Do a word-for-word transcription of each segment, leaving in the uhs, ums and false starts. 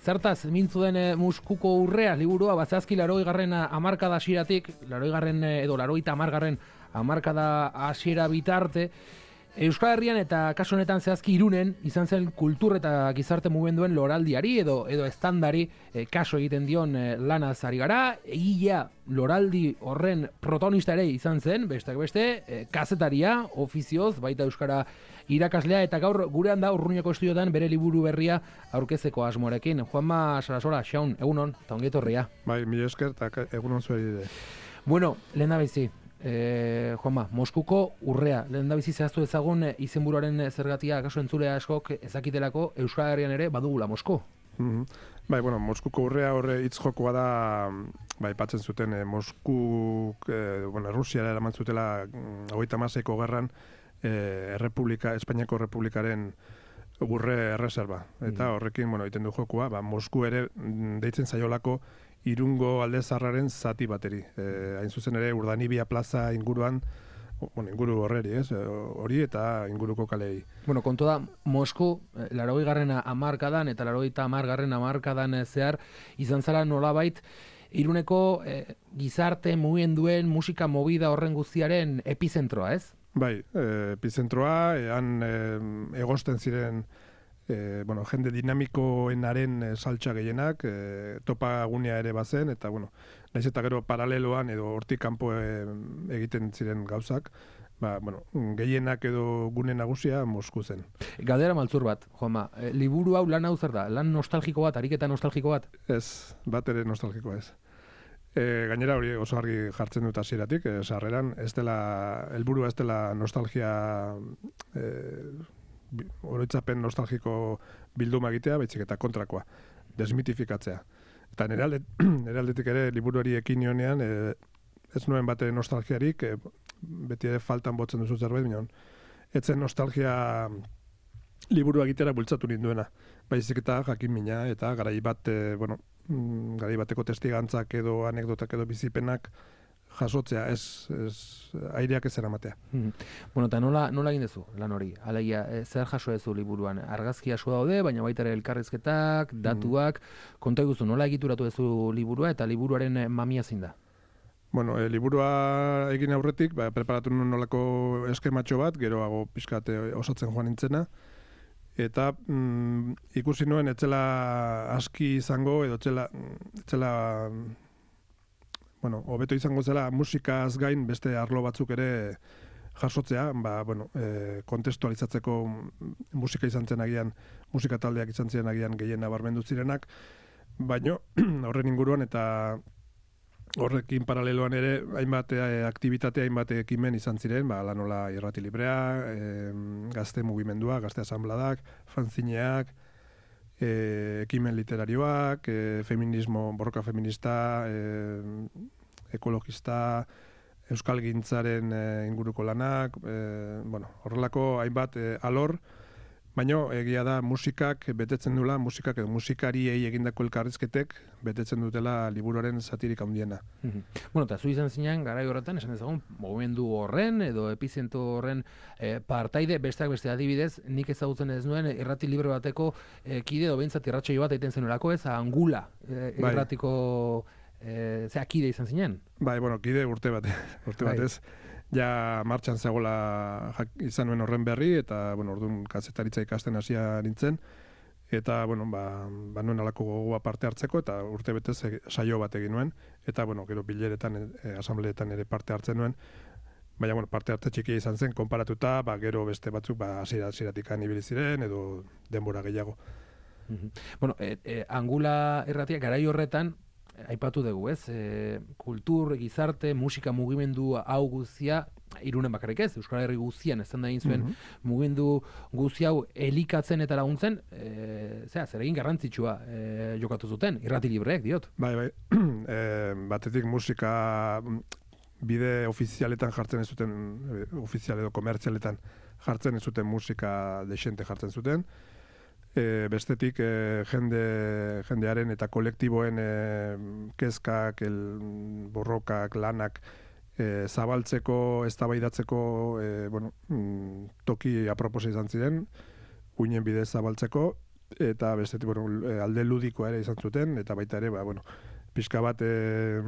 Zertaz, mintzu den e, Muskuko urrea liburua, bazazki laroi garren amarkada hasieratik, laroi garren edo laroita amargarren amarkada hasiera bitarte, Euskal Herrian eta kasu honetan zehazki Irunen izan zen kultur eta gizarte mugimenduen loraldiari edo edo estandari e, kaso egiten dion e, lanaz ari gara. Egia loraldi horren protagonista ere izan zen, besteak beste, e, kazetaria, ofizioz, baita euskara irakaslea, eta gaur gurean da Urruñako estudiotan bere liburu berria aurkezeko asmoarekin. Juanma Sarasola, Xaun, egunon, eta ongi etorria. Bai, mila esker, eta egunon zuari ere. Bueno, lehen da bizi, eh, Juanma, Moskuko urrea, lehen da bizi zehaztu ezagun e, izenburuaren zergatia, kaso entzulea askok ezakitelako Euskal Herrian ere badugula Mosko. Mm-hmm. Bai, bueno, Moskuko urrea horre hitz jokoa da, bai, patzen zuten, eh, Moskuk, eh, bueno, Rusiara eraman zutela hogeita hamaseiko gerran, eh, Errepublika, Espainiako Errepublikaren urre erreserba. Eta horrekin, bueno, egiten du jokoa, ba, Mosku ere deitzen zaiolako Irungo alde zarraren zati bateri. Eh, hain zuzen ere, Urdanibia plaza inguruan, bueno, inguru horreri, ez? Hori eta inguruko kalei. Bueno, kontu da, Mosku, larogei garren hamarkadan eta larogeita hamar garren hamarkadan zehar, izan zara nolabait, Iruneko eh, gizarte mugimenduen musika movida horren guztiaren epizentroa, ez? Bai, eh, epizentroa, han eh, egosten ziren E, bueno, jende dinamikoenaren e, saltsa gehienak, e, topa gunea ere bazen, eta bueno, naiz eta gero paraleloan edo hortik kanpo e, egiten ziren gauzak, ba, bueno, gehienak edo gune nagusia Mosku zen. Galdera maltzur bat, Juanma, e, liburu hau lan hau zer da? Lan nostalgiko bat, ariketa nostalgiko bat? Ez, bat ere nostalgiko ez. E, gainera hori oso argi jartzen dut hasieratik, e, sarreran, ez dela, helburua ez dela nostalgia e, oroitzapen nostalgiko bilduma egitea, baizik eta kontrakoa, desmitifikatzea. Eta nire, alde, nire aldetik ere liburuari ekin nionean, e, ez nuen bate nostalgiarik, e, beti ere faltan botzen duzu zerbait, minon, etzen nostalgia liburu egitera bultzatu ninduena. Baizik eta jakin mina, eta garai bat, e, bueno, garai bateko testigantzak edo anekdotak edo bizipenak jasotzea, ez, ez aireak ez eramatea. Hmm. Bueno, eta nola, nola egin dezu lan hori? Alegia, e, zer jaso dezu liburuan? Argazki asko daude, baina baita ere elkarrizketak, datuak, hmm. konta eguzu, nola egituratu dezu liburua eta liburuaren mamia zein da? Bueno, e, liburua egin aurretik, ba, preparatu nuen nolako eskematxo bat, geroago pixkat osatzen joan nintzena, eta mm, ikusi nuen etzela aski izango, edo etzela, etzela bueno, hobeto izango zela musikaz gain beste arlo batzuk ere jasotzea, ba, bueno, e, kontestualizatzeko musika izan zen agian, musika taldeak izan ziren agian gehien nabarmendu zirenak, baino horren inguruan eta horrekin paraleloan ere hainbat e, aktibitate, hainbat ekimen izan ziren, ba, lanola irrati librea, e, gazte mugimendua, gazte asambladak, fanzineak, E, ekimen literarioak, e, feminismo, borroka feminista, e, ekologista, euskalgintzaren e, inguruko lanak, e, bueno, horrelako hainbat e, alor, baino egia da musikak betetzen dula, musikak edo musikariei egindako elkarrizketek betetzen dutela liburuaren zatirik handiena. Mm-hmm. Bueno, eta zu izan zinean, garai horretan, esan ezagun, mugimendu horren edo epizentro horren e, partaide, besteak beste adibidez, nik ezagutzen ez nuen irrati libre bateko e, kide edo behintzat irratsaio bat egiten zenolako, ez Angula e, irratiko e, zea kide izan zinean? Bai, bueno, kide urte bat, urte bai. batez. Ja martxan zegoela izan nuen horren berri, eta, bueno, orduan kazetaritza ikasten hasia nintzen, eta, bueno, ba, ba nuen alako gogoa parte hartzeko, eta urte betez saio bat egin nuen, eta, bueno, gero bileretan, e, asambleetan ere parte hartzen nuen, baina, bueno, parte hartze txikia izan zen, konparatuta, ba, gero beste batzuk, ba, hasiera-hasieratik ibili ziren, edo denbora gehiago. Mm-hmm. Bueno, e, e, Angula erratia, garai horretan, aipatu dugu, ez? E, kultur, gizarte, musika mugimendu hau guztia, Irunen bakarrik ez, Euskal Herri guztian, ez da egin zuen, mm-hmm. mugimendu guzti hau elikatzen eta laguntzen, e, zera, zer egin garrantzitsua e, jokatu zuten, irrati libreek, diot. Bai, bai, e, batetik musika bide ofizialetan jartzen ez zuten, e, ofizial edo komertzialetan jartzen ez zuten musika desente jartzen zuten, E, bestetik e, jende, jendearen eta kolektiboen e, kezkak, el, borrokak, lanak e, zabaltzeko, eztabaidatzeko e, bueno, mm, toki aproposa izan ziren, uinen bidez zabaltzeko, eta bestetik, bueno, alde ludikoa ere izan zuten, eta baita ere, ba, bueno, pixka bat e,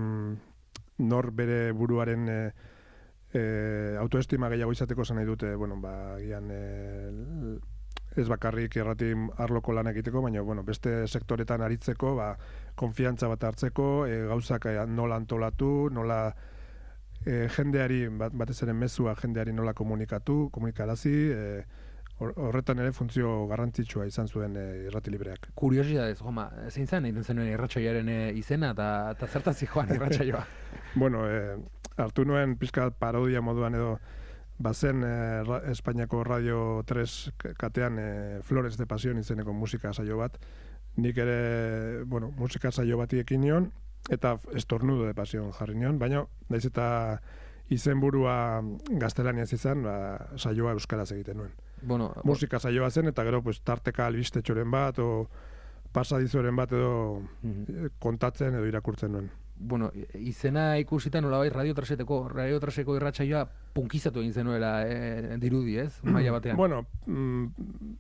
nor bere buruaren e, e, autoestima gehiago izateko zen nahi dute, bueno, ba, gian, e, ez bakarrik errati arloko lan egiteko, baina, bueno, beste sektoretan aritzeko, ba, konfiantza bat hartzeko, e, gauzak nola antolatu, nola e, jendeari, bat, batez ere mezua jendeari nola komunikatu, komunikarazi, e, horretan ere funtzio garrantzitsua izan zuen e, irrati libreak. Kuriosidadez, Joma, zein zen egiten zenuen irratsaioaren izena eta zertazi joan irratsaioa? Bueno, e, hartu nuen pizka parodia moduan edo bazen e, ra, Espainiako Radio tres katean e, Flores de Pasión izeneko musika saio bat. Nik ere, bueno, musika saio bati ekin nion, eta Estornudo de Pasión jarri nion, baina naiz eta izenburua gaztelaniaz izan, ba, saioa euskaraz egiten nuen. Bueno, musika saioa zen, eta gero pues, tarteka albistetxoren bat, o pasadizoren bat edo uh-huh. kontatzen edo irakurtzen nuen. Bueno, izena ikusita nolabait Radio Traseteko, Radio Traseko irratsaioa punkizatu egin zenuela eh, dirudi, ez? Maila batean. Bueno, mm,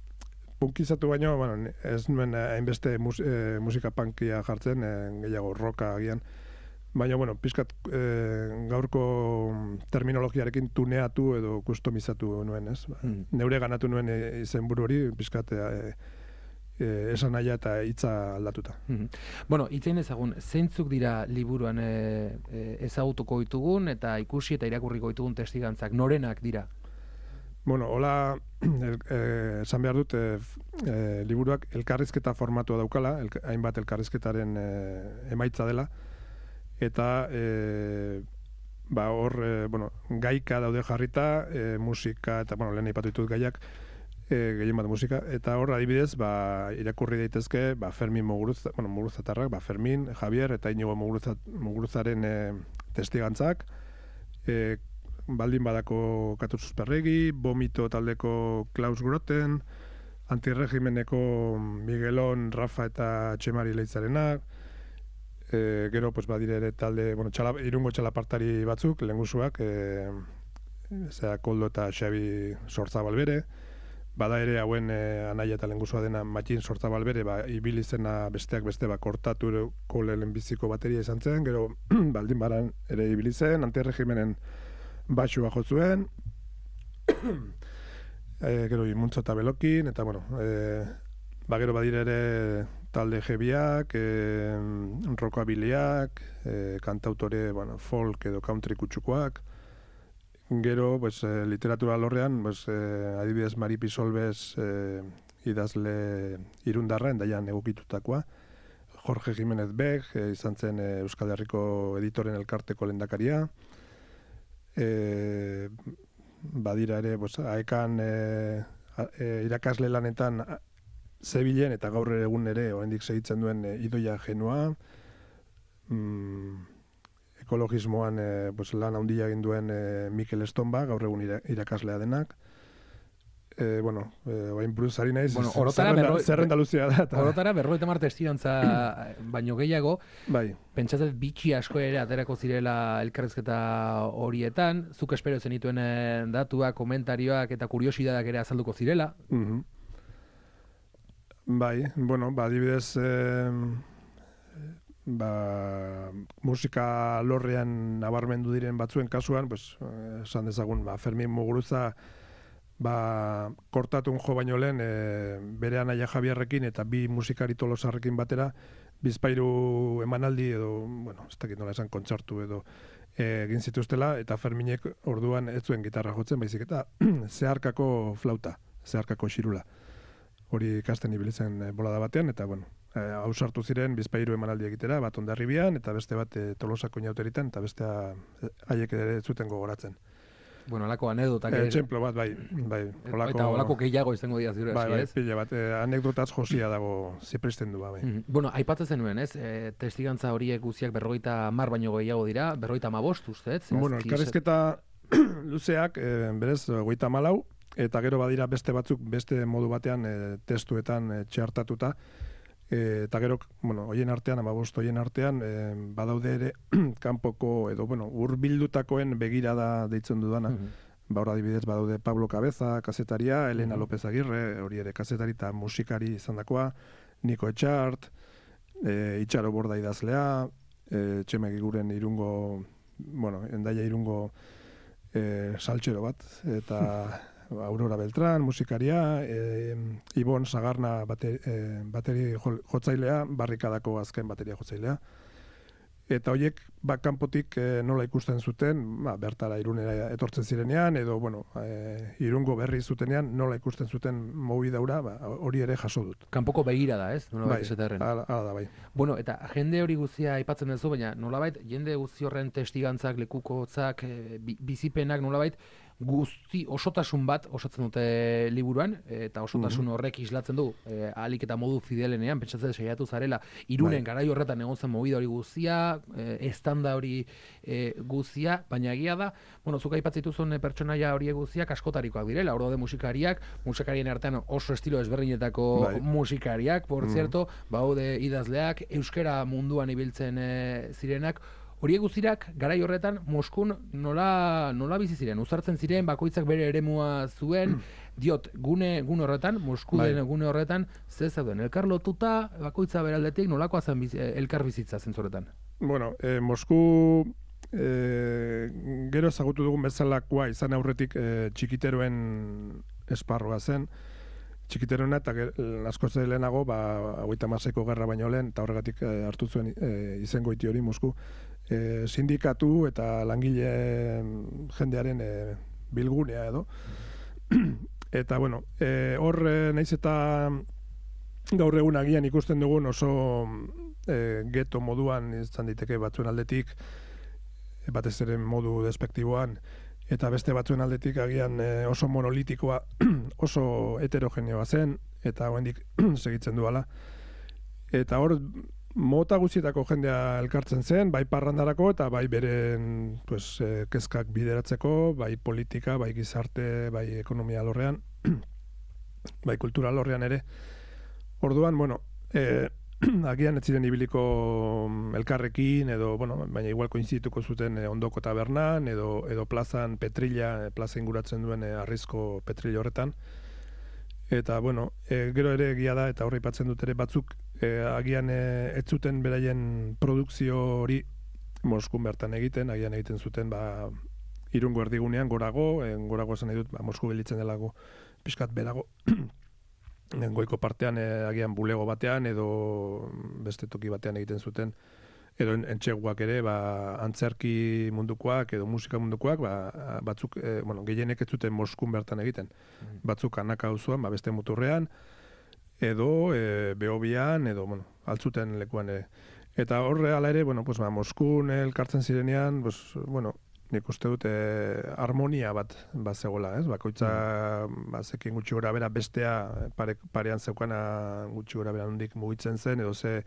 punkizatu baino, bueno, ez nuen hainbeste mus, eh, musika punkia jartzen, eh, gehiago rocka agian. Baina, bueno, pizkat eh, gaurko terminologiarekin tuneatu edo kustomizatu nuen, ez? Mm. Neure ganatu nuen izenburu hori, pizkat eh, eh, esan naia eta hitza aldatuta. Mm-hmm. Bueno, itzein ezagun, zeintzuk dira liburuan eh, eh, ezagutuko ditugun eta ikusi eta irakurriko ditugun testigantzak, norenak dira? Bueno, hola, esan eh, behar dut, eh, eh, liburuak elkarrizketa formatua daukala, el, hainbat elkarrizketaren eh, emaitza dela, eta e, ba hor e, bueno, gaika daude jarrita, e, musika eta bueno, lehen aipatu ditut gaiak, e, gehien bat musika, eta hor adibidez ba, irakurri daitezke ba, Fermin Muguruza, bueno, Muguruzatarrak, ba, Fermin, Javier eta Inigo Muguruza, Muguruzaren e, testigantzak, e, baldin badako Katu Susperregi, Vomito taldeko Klaus Groten, Antirregimeneko Miguelon, Rafa eta Txemari Leitzarenak, E, gero, pues, badire ere talde, bueno, txala, irungo txalapartari batzuk, lehengusuak, e, zera Koldo eta Xabi Sortzabalbere, bada ere hauen e, anaia eta lehengusua dena Matxin Sortzabalbere, ba, ibili zena besteak beste, ba, kortatuko lehenbiziko bateria izan zen, gero baldin baran ere ibili zen, antirregimenen baxua jotzuen, e, gero imuntzo eta belokin, eta, bueno, e, ba, gero badire ere talde jebiak, e, rockabiliak, e, kantautore, bueno, folk edo country kutsukoak. Gero, pues, e, literatura lorrean, pues, e, adibidez Mari Pisolbez e, idazle irundarra, endaian egokitutakoa. Jorge Jimenez Beg, e, izan zen e, Euskal Herriko editoren elkarteko lehendakaria. E, badira ere, pues, aekan e, e, irakasle lanetan zebilen eta gaur egun ere oraindik segitzen duen e, Idoia Genua, mm, ekologismoan e, pues, lan handia egin duen e, Mikel Estonba, gaur egun irakaslea denak. E, bueno, e, orain buruz ari naiz, bueno, orotara zerrenda, berroi, zerrenda luzea da. Ta... Orotara berroita mar testigantza baino gehiago, bai. Pentsatzen bitxi asko ere aterako zirela elkarrizketa horietan, zuk espero zenituen datuak, komentarioak eta kuriosidadak ere azalduko zirela. Mhm. Bai, bueno, ba, adibidez, eh, ba, musika lorrean nabarmendu diren batzuen kasuan, pues, esan dezagun, ba, Fermin Muguruza, ba, kortatun jo baino lehen, e, bere anaia Javierrekin eta bi musikari tolosarrekin batera, bizpairu emanaldi edo, bueno, ez dakit nola esan kontzertu edo, e, egin zituztela, eta Ferminek orduan ez zuen gitarra jotzen, baizik eta zeharkako flauta, zeharkako xirula. Hori ikasten ibilitzen bolada batean, eta, bueno, hausartu ziren bizpairu emanaldi egitera, bat Hondarribian, eta beste bat e, Tolosako inauteritan, eta bestea haiek ere zuten gogoratzen. Bueno, alako anedotak... E, Txemplo bat, bai. bai olako, eta olako gehiago izango dira ziur, bai, bai, ez? Pila bat, e, anekdotaz josia dago zipristen du, bai. Mm-hmm. Bueno, aipatzen zenuen, ez? E, testigantza horiek guziak berrogeita mar baino gehiago dira, berrogeita amabost, uste, ez? Bueno, elkarrizketa luzeak, e, berez, goita malau, eta gero badira beste batzuk, beste modu batean e, testuetan e, txartatuta, e, eta gero, bueno, hoien artean, amabost hoien artean, e, badaude ere kanpoko, edo, bueno, urbildutakoen begirada deitzen dudana, mm-hmm. ba hor adibidez badaude Pablo Cabeza, kazetaria, Elena López Agirre, hori ere kazetari eta musikari izandakoa, Niko Etxart, e, Itxaro Borda idazlea, e, Txemegi guren irungo, bueno, endaia irungo e, saltxero bat, eta Aurora Beltrán, musikaria, e, Ibon Sagarna bate, e, bateri jotzailea, barrikadako azken bateria jotzailea. Eta horiek kanpotik e, nola ikusten zuten, ba, bertara Irunera etortzen zirenean, edo bueno, e, Irungo berri zutenean nola ikusten zuten mobidaura, ba, hori ere jaso dut. Kanpoko begira da, ez? Bai, ala da, bai. Bueno, eta jende hori guztia aipatzen duzu, baina nolabait, jende guzti horren testigantzak, lekukotzak, e, bizipenak nolabait, guzti osotasun bat osatzen dute liburuan, eta osotasun horrek islatzen du, e, ahalik eta modu fidelenean, pentsatzen saiatu zarela, Irunen garai horretan egon zen movida hori guztia, e, estanda hori e, guztia, baina egia da, bueno, zuk aipatzituzun pertsonaia horiek guztiak askotarikoak direla, hor daude musikariak, musikarien artean oso estilo ezberdinetako bai. musikariak, por mm. cierto, baude idazleak, euskera munduan ibiltzen e, zirenak, horiek guztiak garai horretan Moskun nola, nola bizi ziren, uzartzen ziren, bakoitzak bere eremua zuen, diot, gune, gune horretan, Mosku bai. den gune horretan, ze zeuden, elkar lotuta, bakoitza beraldetik, nolakoa zen biz, elkar bizitza zentzoretan? Bueno, eh, Mosku eh, gero ezagutu dugun bezalakoa izan aurretik eh, txikiteroen esparroa zen, txikiterona eta asko ze lehenago, ba, hogeita hamaseiko gerra baino lehen, eta horregatik eh, hartu zuen eh, izengoiti hori Mosku, E, sindikatu eta langile jendearen e, bilgunea edo. Eta, bueno, e, hor e, naiz eta gaur egun agian ikusten dugun oso e, geto moduan izan diteke batzuen aldetik, e, batez ere modu despektiboan, eta beste batzuen aldetik agian e, oso monolitikoa, oso heterogeneoa zen, eta oraindik segitzen duala. Eta hor, mota guztietako jendea elkartzen zen, bai parrandarako eta bai beren pues, eh, kezkak bideratzeko, bai politika, bai gizarte, bai ekonomia lorrean, bai kultura lorrean ere. Orduan, bueno, eh, agian ez ziren ibiliko elkarrekin, edo, bueno, baina igual koinzituko zuten eh, ondoko tabernan, edo, edo plazan Petrilla, plaza inguratzen duen eh, arrizko Petrilla horretan. Eta, bueno, e, gero ere egia da, eta horre ipatzen dut ere batzuk, e, agian e, ez zuten beraien produkzio hori Moskun bertan egiten, agian egiten zuten, ba, Irungo erdigunean, gorago, en, gorago esan nahi dut, ba, Mosku gelitzen delago, pixkat berago, goiko partean, e, agian bulego batean, edo beste toki batean egiten zuten, edo entxeguak ere, ba, antzerki mundukoak edo musika mundukoak, ba, batzuk, e, bueno, gehienek ez zuten Moskun bertan egiten. Mm. Batzuk Anaka auzoan, ba, beste muturrean, edo e, Behobian, edo, bueno, altzuten lekuan ere. Eta horre ala ere, bueno, pues, ba, Moskun elkartzen zirenean, pues, bueno, nik uste dut, e, harmonia bat, bat zegoela, ez? Bakoitza, mm. ba, zekin gutxi gora bera, bestea pare, parean zeukana gutxi gora bera nondik mugitzen zen, edo ze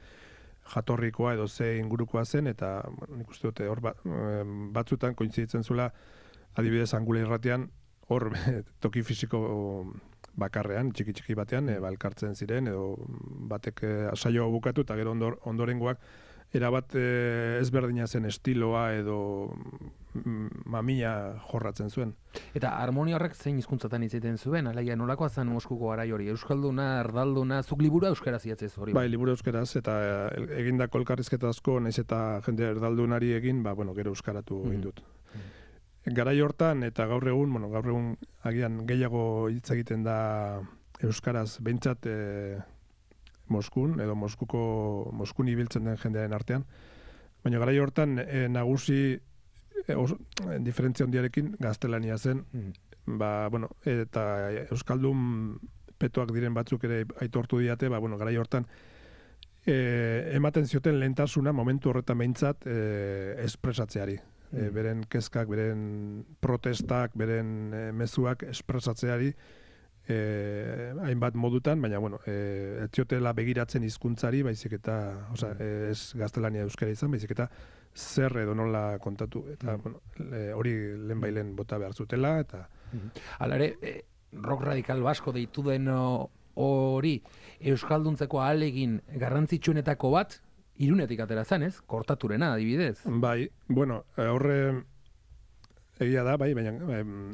jatorrikoa edo ze ingurukoa zen, eta bueno, nik uste dute hor bat, batzutan kointziditzen zula, adibidez Angula irratian, hor toki fisiko bakarrean, txiki-txiki batean, e, balkartzen ziren, edo batek e, saioa bukatu, eta gero ondor, ondorengoak erabat e, ezberdina zen estiloa edo mm, mamia jorratzen zuen. Eta harmonia horrek zein hizkuntzatan hitz egiten zuen, alaia nolakoa zen Moskuko garai hori, euskalduna, erdalduna, zuk liburua euskaraz idatzez hori? Bai, liburu euskaraz, eta egindako elkarrizketa asko, naiz eta jende erdaldunari egin, ba, bueno, gero euskaratu egin dut. Mm. Garai hortan, eta gaur egun, bueno, gaur egun agian gehiago hitz egiten da euskaraz, behintzat e, Moskun, edo Moskuko, Moskun ibiltzen den jendearen artean. Baina garai hortan e, nagusi e, os, e, diferentzia handiarekin gaztelania zen. Mm. Ba, bueno, eta euskaldun petoak diren batzuk ere aitortu diate, ba, bueno, garai hortan e, ematen zioten lehentasuna momentu horretan behintzat e, espresatzeari. Mm. E, beren kezkak, beren protestak, beren e, mezuak espresatzeari, Eh, hainbat modutan, baina bueno, eh, ez ziotela begiratzen hizkuntzari, baizik eta, osea, eh, ez gaztelania euskara izan, baizik eta zer edo nola kontatu, eta mm. bueno, le, hori lehenbailen bota behar zutela, eta... Hala ere, eh, rock radikal basko deitu den hori euskalduntzeko ahalegin garrantzitsuenetako bat, Irunetik atera zen, ez? Kortaturena, adibidez. Bai, bueno, horre egia da, bai, baina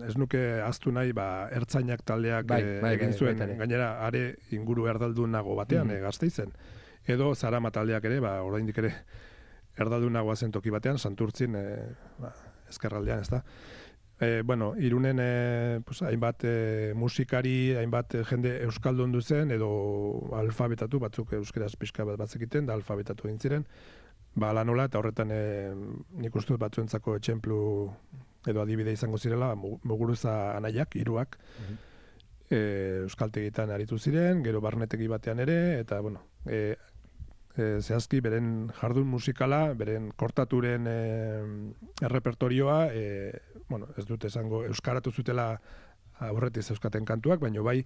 ez nuke ahaztu nahi, ba, ertzainak taldeak bai, bai, egin bai, zuen, bai, bai, gainera, are inguru erdaldunago batean, mm -hmm. Gasteizen. Edo Zarama taldeak ere, ba, oraindik ere erdaldunagoa zen toki batean, Santurtzin, e, ba, ezkerraldean, ez da. E, bueno, Irunen e, pues, hainbat e, musikari, hainbat e, jende euskaldun duzen, edo alfabetatu, batzuk euskeraz pixka bat batzekiten, da alfabetatu egin ziren, ba, lanola, eta horretan e, nik uste dut batzuentzako etxemplu edo adibide izango zirela, Muguruza anaiak, hiruak, mm-hmm. e, euskaltegitan aritu ziren, gero barnetegi batean ere, eta, bueno, e, e, zehazki beren jardun musikala, beren kortaturen e, errepertorioa, e, bueno, ez dut esango euskaratu zutela aurretiz euskaten kantuak, baina bai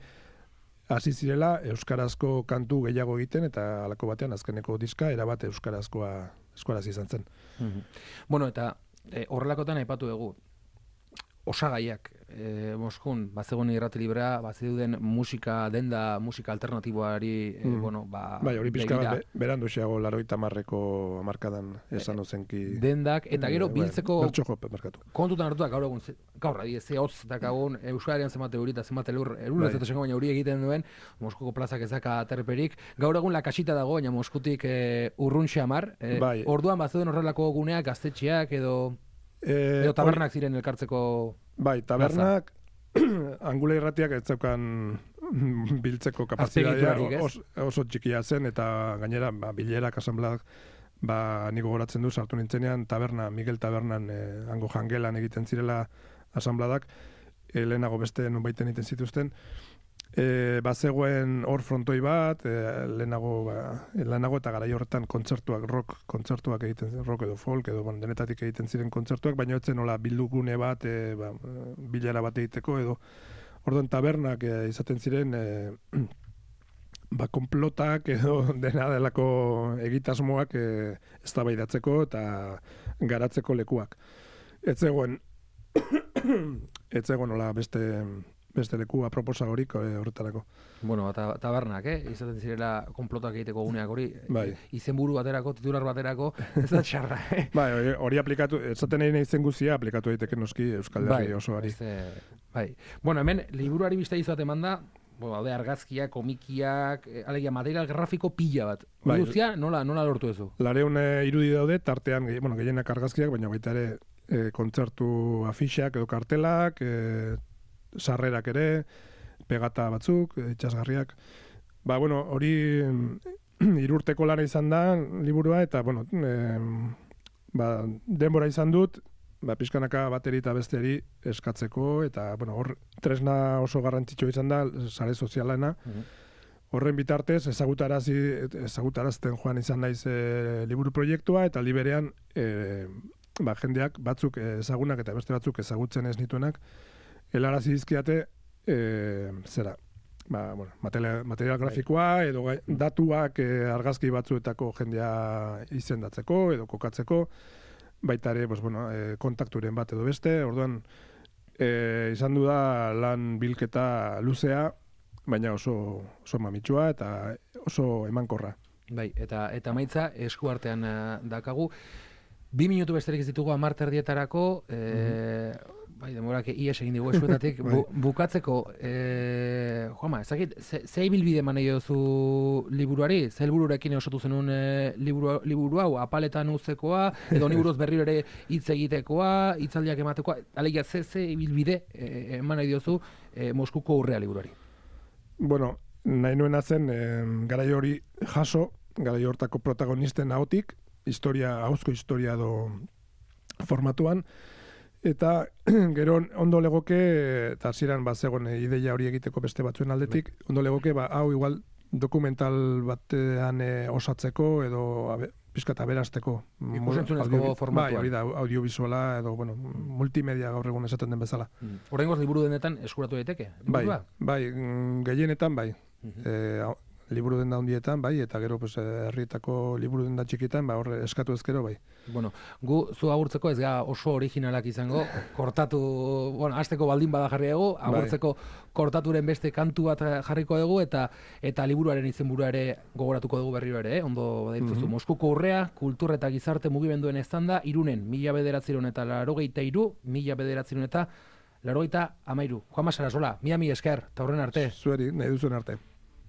hasi zirela euskarazko kantu gehiago egiten, eta halako batean azkeneko diska erabat euskarazkoa euskaraz izan zen. Mm-hmm. Bueno, eta e, horrelakotan aipatu dugu, osagaiak, e, Moskun, bazegoen irrati librea, baziduden musika, denda, musika alternatiboari, e, mm. bueno, ba... Bai, hori pixka bat, be, berandu xeago laroita marreko amarkadan esan ozenki... Dendak, eta gero biltzeko... Bertxo jope, markatu. Kontutan hartuak, gaur egun, gaur, adi, ze hotz, eta gaur, Euskarian zenbate hori, eta zenbate lur, erulez bai. Eta zengo, baina hori egiten duen, Moskuko plazak ezaka aterperik, gaur egun lakasita dago, baina Moskutik e, urrun xamar, e, bai. Orduan baziduen horrelako guneak, gaztetxeak, edo... E, edo tabernak ori... ziren elkartzeko... Bai, tabernak, Angula irratiak ez zeukan biltzeko kapazitatea os, oso txikia zen, eta gainera, ba, bilerak, asanbladak, ba, niko goratzen du, sartu nintzenean, taberna, Miguel Tabernan, eh, hango jangelan egiten zirela asanbladak, eh, lehenago beste nonbaiten egiten zituzten, E, bazegoen hor frontoi bat, e, lehenago, ba, lehenago eta garai horretan kontzertuak, rock kontzertuak egiten ziren, rock edo folk, edo bon, denetatik egiten ziren kontzertuak, baina etzen nola bildugune bat, e, ba, bilara bat egiteko, edo orduan tabernak e, izaten ziren, e, ba, konplotak edo dena delako egitasmoak e, eztabaidatzeko eta garatzeko lekuak. Ez zegoen, ez zegoen nola beste... beste leku aproposa horik horretarako. Bueno, eta tabernak, eh? Izaten zirela konplotak egiteko guneak hori, bai. Izenburu baterako, titular baterako, ez da txarra, eh? Bai, hori aplikatu, esaten egin izen guzia aplikatu daiteke noski Euskal Herri bai, osoari. Este, bai. Bueno, hemen, liburuari bizta izuat emanda, bueno, alde argazkiak, komikiak, alegia material grafiko pila bat. Bai. Guztia, nola, nola lortu ezu? Lareun irudi daude, tartean, bueno, gehienak argazkiak, baina baita ere e, kontzertu afixak edo kartelak, e, sarrerak ere, pegata batzuk, itxasgarriak. Ba, bueno, hori hirurteko lana izan da, liburua, eta, bueno, e, ba, denbora izan dut, ba, pixkanaka bateri eta besteri eskatzeko, eta, bueno, hor, tresna oso garrantzitsua izan da, sare sozialena. Horren bitartez, ezagutarazi, ezagutarazten joan izan naiz e, liburu proiektua, eta liberean, e, ba, jendeak batzuk ezagunak eta beste batzuk ezagutzen ez nituenak, helarazi dizkiate, e, zera, ba, bueno, material, material grafikoa, edo datuak e, argazki batzuetako jendea izendatzeko, edo kokatzeko, baita ere, pues, bueno, e, kontakturen bat edo beste, orduan, e, izan du da lan bilketa luzea, baina oso, oso mamitsua eta oso emankorra. Bai, eta eta maitza esku artean uh, dakagu. Bi minutu besterik ez ditugu hamar terdietarako, e, mm-hmm. bai, demorak ies egin digu eskuetatik, bu, bukatzeko, e, Juanma, ezakit, ze, ze ibilbide manei duzu liburuari? Ze helbururekin osatu zenun e, liburu, liburu hau, apaletan uzekoa, edo niburuz berri ere hitz egitekoa, hitzaldiak ematekoa, alegia ze, ze ibilbide e, eman nahi diozu e, Moskuko urrea liburuari? Bueno, nahi nuena zen, e, garai hori jaso, garai hortako protagonisten ahotik, historia, hauzko historia do formatuan, eta gero ondo legoke, eta hasieran bat zegoen ideia hori egiteko beste batzuen aldetik, ondo legoke, ba, hau igual dokumental batean e, osatzeko, edo abe, pizkat aberasteko. Ikusentzunezko formatuan. Bai, hori da, audiovisuala, edo, bueno, multimedia gaur egun esaten den bezala. Mm. Horrengoz liburu denetan eskuratu daiteke? Bai, bai, gehienetan bai. Uh-huh. E, liburu denda hundietan, bai, eta gero pues, herrietako liburu denda txikitan, ba, horre eskatu ezkero, bai. Bueno, gu zu agurtzeko ez ga oso originalak izango, kortatu, bueno, hasteko baldin bada jarri dugu, agurtzeko bai. Kortaturen beste kantu bat jarriko dugu, eta eta liburuaren izenburua ere gogoratuko dugu berriro ere, eh? Ondo baditzuzu. Mm -hmm. Moskuko urrea, kultur eta gizarte mugimenduen estanda, Irunen, mila bederatziehun eta laurogeita hiru, mila bederatziehun eta laurogeita hamairu. Juanma Sarasola, mila mila esker, eta horren arte. Zueri, nahi duzuen arte.